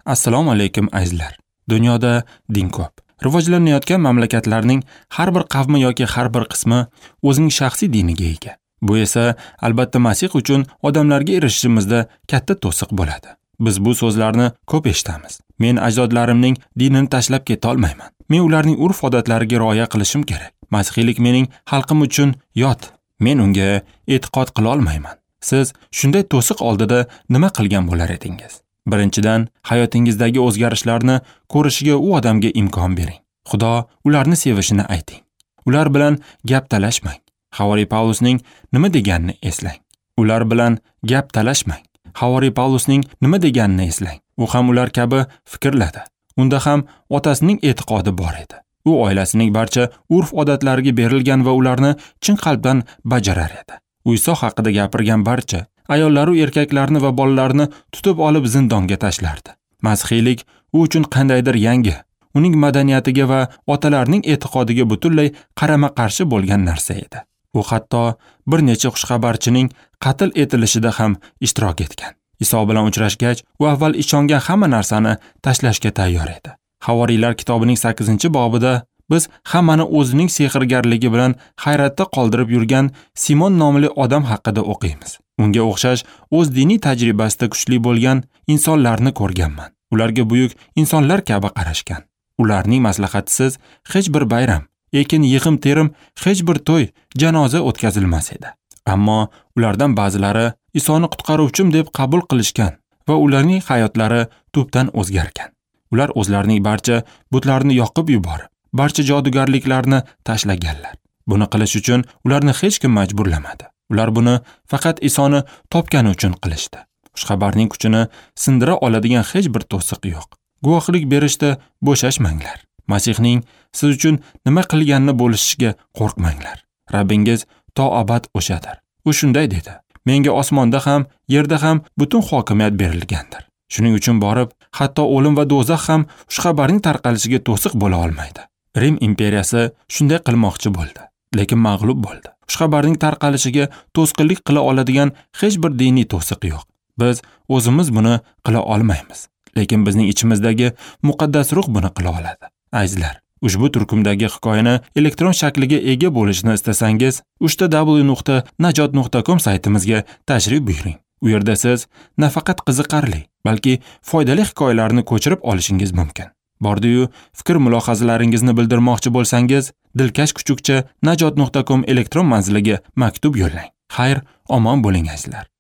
Assalomu alaykum azizlar. Dunyoda din ko'p. Rivojlanayotgan mamlakatlarning har bir qavmi yoki har bir qismi o'zining shaxsiy diniga ega. Bu esa albatta Masih uchun odamlarga erishishimizda katta to'siq bo'ladi. Biz bu so'zlarni ko'p eshitamiz. Men ajdodlarimning dinini tashlab keta olmayman. Men ularning urf-odatlariga rioya qilishim kerak. Masihiylik mening xalqim uchun yot. Men unga e'tiqod qila olmayman. Siz shunday to'siq oldida nima qilgan bo'lar edingiz? Birinchidan, hayotingizdagi o'zgarishlarni ko'rishiga u odamga imkon bering. Xudo ularni sevishini ayting. Ular bilan gap talashmang. Havoriy Pavlusning nima deganini eslang. Ular bilan gap talashmang. Havoriy Pavlusning nima deganini eslang. U ham ular kabi fikrladi. Unda ham otasining e'tiqodi bor edi. U oilasining barcha urf-odatlariga berilgan va ularni chin qalbdan bajarar edi. U Iso haqida gapirgan barcha ayollaru erkaklarni va bolalarni tutib olib zindonga tashlardi. Masihiylik u uchun qandaydir yangi, uning madaniyatiga va otalarining e'tiqodiga butunlay qarama-qarshi bo'lgan narsa edi. U hatto bir necha xushxabarchining qatl etilishida ham ishtirok etgan. Iso bilan uchrashgach, u avval ishongan hamma narsani tashlashga tayyor edi. Havoriylar kitobining 8-bobida biz hammani o'zining sehrgarligi bilan hayratda qoldirib yurgan Simon nomli odam haqida o'qiymiz. Unga o'xshash o'z diniy tajribasida kuchli bo'lgan insonlarni ko'rganman. Ularga buyuk insonlar kabi qarashgan. Ularning maslahatisiz hech bir bayram, ekin yig'im-terim, hech bir to'y, janoza o'tkazilmas edi. Ammo ulardan ba'zilari Isoni qutqaruvchim deb qabul qilishgan va ularning hayotlari tubdan o'zgargan. Ular o'zlarining barcha butlarini yoqib yuborib, barcha jodugarliklarni tashlaganlar. Buni qilish uchun ularni hech kim majburlamadi. Ular buni faqat Isoni topgani uchun qilishdi. Xushxabarning kuchini sindira oladigan hech bir to'siq yo'q. Guvohlik berishda bo'shashmanglar. Masihning siz uchun nima qilganini bo'lishishga qo'rqmanglar. Rabbingiz to abad o'shadir. U shunday dedi: Menga osmonda ham, yerda ham butun hokimiyat berilgandir. Shuning uchun borib, hatto o'lim va do'zax ham xushxabarning tarqalishiga to'siq bo'la olmaydi. Rim imperiyasi shunday qilmoqchi bo'ldi, lekin mag'lub bo'ldi. Xushxabarning tarqalishiga to'sqinlik qila oladigan hech bir diniy to'siq yo'q. Biz o'zimiz buni qila olmaymiz, lekin bizning ichimizdagi muqaddas ruh buni qila oladi. Azizlar, ushbu turkumdagi hikoyani elektron shakliga ega bo'lishni istasangiz, www.najot.com saytimizga tashrif buyuring. U yerda siz nafaqat qiziqarli, balki foydali hikoyalarni ko'chirib olishingiz mumkin. Bordi-yu, fikr mulohazalaringizni bildirmoqchi bo'lsangiz, dilkash@najot.com elektron manziliga maktub yo'llang. Xayr, omon bo'ling azizlar.